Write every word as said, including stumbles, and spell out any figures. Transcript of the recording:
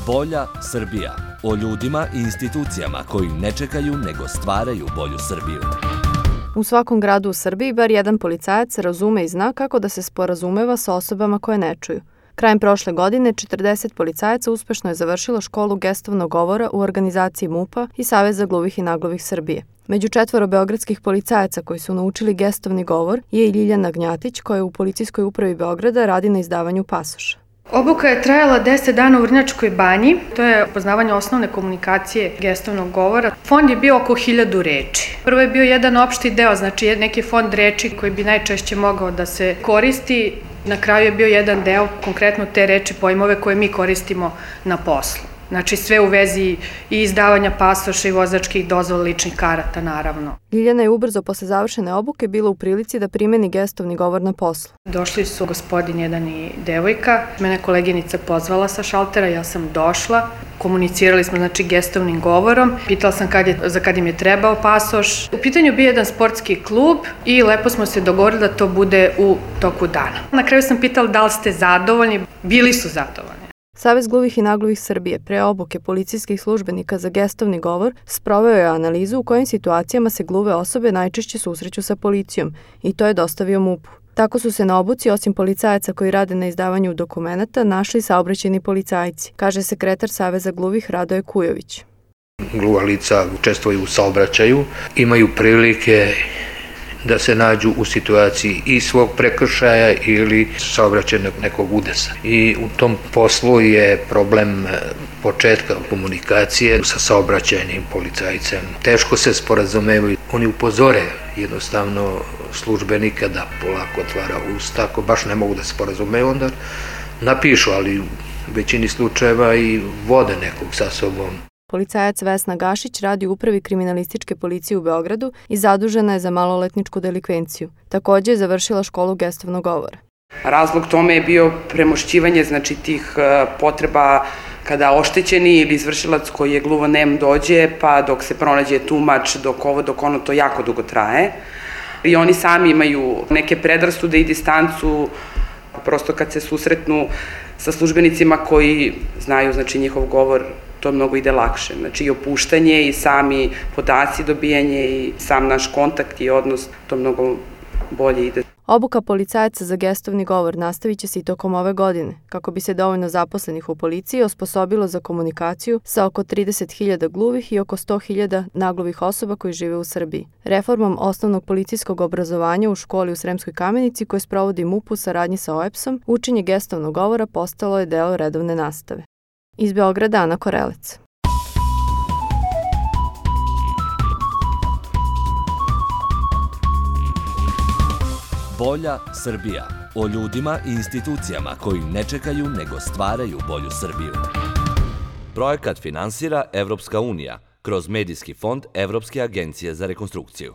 Bolja Srbija. O ljudima i institucijama koji ne čekaju nego stvaraju bolju Srbiju. U svakom gradu u Srbiji bar jedan policajac razume i zna kako da se sporazumeva sa osobama koje ne čuju. Krajem prošle godine četrdeset policajaca uspešno je završilo školu gestovnog govora u organizaciji MUP-a i Saveza gluvih i nagluhih Srbije. Među četvoro beogradskih policajaca koji su naučili gestovni govor je i Ljiljana Gnjatić, koja u Policijskoj upravi Beograda radi na izdavanju pasoša. Obuka je trajala deset dana u Vrnjačkoj banji. To je poznavanje osnovne komunikacije gestovnog govora. Fond je bio oko hiljadu reči. Prvo je bio jedan opšti deo, znači neki fond reči koji bi najčešće mogao da se koristi. Na kraju je bio jedan deo, konkretno te reči, pojmove koje mi koristimo na poslu. Znači sve u vezi i izdavanja pasoša i vozačkih dozvola, ličnih karata, naravno. Ljiljana je ubrzo posle završene obuke bila u prilici da primeni gestovni govor na poslu. Došli su gospodin jedan i devojka. Mene koleginica pozvala sa šaltera, ja sam došla. Komunicirali smo znači gestovnim govorom. Pitala sam kad je, za kad im je trebao pasoš. U pitanju bio jedan sportski klub i lepo smo se dogovorili da to bude u toku dana. Na kraju sam pitala da li ste zadovoljni. Bili su zadovoljni. Savez gluvih i nagluhih Srbije pre obuke policijskih službenika za gestovni govor sproveo je analizu u kojim situacijama se gluve osobe najčešće susreću sa policijom i to je dostavio MUP-u. Tako su se na obuci, osim policajaca koji rade na izdavanju dokumenata, našli saobraćajni policajci, kaže sekretar Saveza gluvih Radoje Kujović. Gluva lica učestvuju u saobraćaju, imaju prilike da se nađu u situaciji i svog prekršaja ili saobraćajnog nekog udesa. I u tom poslu je problem početka komunikacije sa saobraćajnim policajcem. Teško se sporazumevaju. Oni upozore jednostavno službenika da polako otvara usta. Ako baš ne mogu da se sporazumeju, onda napišu, ali u većini slučajeva i vode nekog sa sobom. Policajac Vesna Gašić radi u upravi kriminalističke policije u Beogradu i zadužena je za maloletničku delikvenciju. Takođe je završila školu gestovnog govora. Razlog tome je bio premošćivanje znači tih potreba kada oštećeni ili izvršilac koji je gluvonem dođe, pa dok se pronađe tumač, dok ovo, dok ono, to jako dugo traje. I oni sami imaju neke predrasude i distancu, prosto kad se susretnu sa službenicima koji znaju znači njihov govor, to mnogo ide lakše. Znači i opuštanje i sami podaci dobijanje i sam naš kontakt i odnos, to mnogo bolje ide. Obuka policajaca za gestovni govor nastavit će se i tokom ove godine, kako bi se dovoljno zaposlenih u policiji osposobilo za komunikaciju sa oko trideset hiljada gluvih i oko sto hiljada nagluvih osoba koji žive u Srbiji. Reformom osnovnog policijskog obrazovanja u školi u Sremskoj Kamenici koje sprovodi MUP u saradnji sa O E P S-om, učenje gestovnog govora postalo je deo redovne nastave. Iz Beograda, Ana Korelec. Bolja Srbija. O ljudima i institucijama koji ne čekaju nego stvaraju bolju Srbiju. Projekat finansira Evropska unija kroz Medijski fond Evropske agencije za rekonstrukciju.